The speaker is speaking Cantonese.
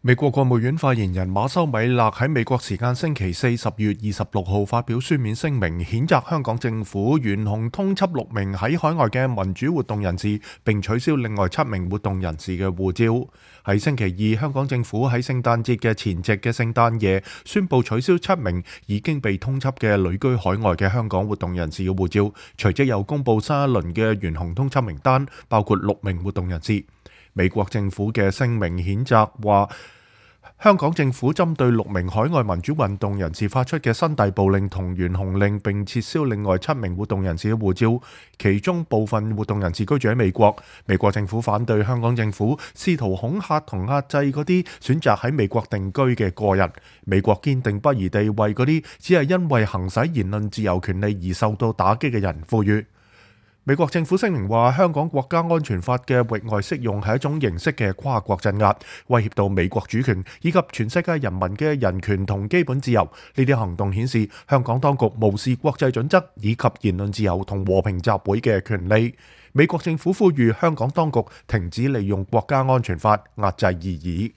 美國國務院發言人馬修米勒喺美國時間星期四10月26號發表書面聲明，譴責香港政府懸紅通緝6名喺海外嘅民主活動人士，並取消另外7名活動人士嘅護照。喺星期二，香港政府喺聖誕節嘅前夕嘅聖誕夜，宣布取消7名已經被通緝嘅旅居海外嘅香港活動人士嘅護照，隨即又公布新一輪嘅懸紅通緝名單，包括6名活動人士。美國政府嘅聲明譴責話，香港政府針對6名海外民主運動人士發出嘅新逮捕令同懸紅令，並撤銷另外7名活動人士嘅護照，其中部分活動人士居住喺美國。美國政府反對香港政府試圖恐嚇同壓制嗰啲選擇喺美國定居嘅個人。美國堅定不移地為嗰啲只係因為行使言論自由權利而受到打擊嘅人呼籲。美國政府聲明話，香港國家安全法嘅域外適用係一種形式嘅跨國鎮壓，威脅到美國主權以及全世界人民嘅人權同基本自由。呢啲行動顯示香港當局無視國際準則以及言論自由同和平集會嘅權利。美國政府呼籲香港當局停止利用國家安全法壓制異議。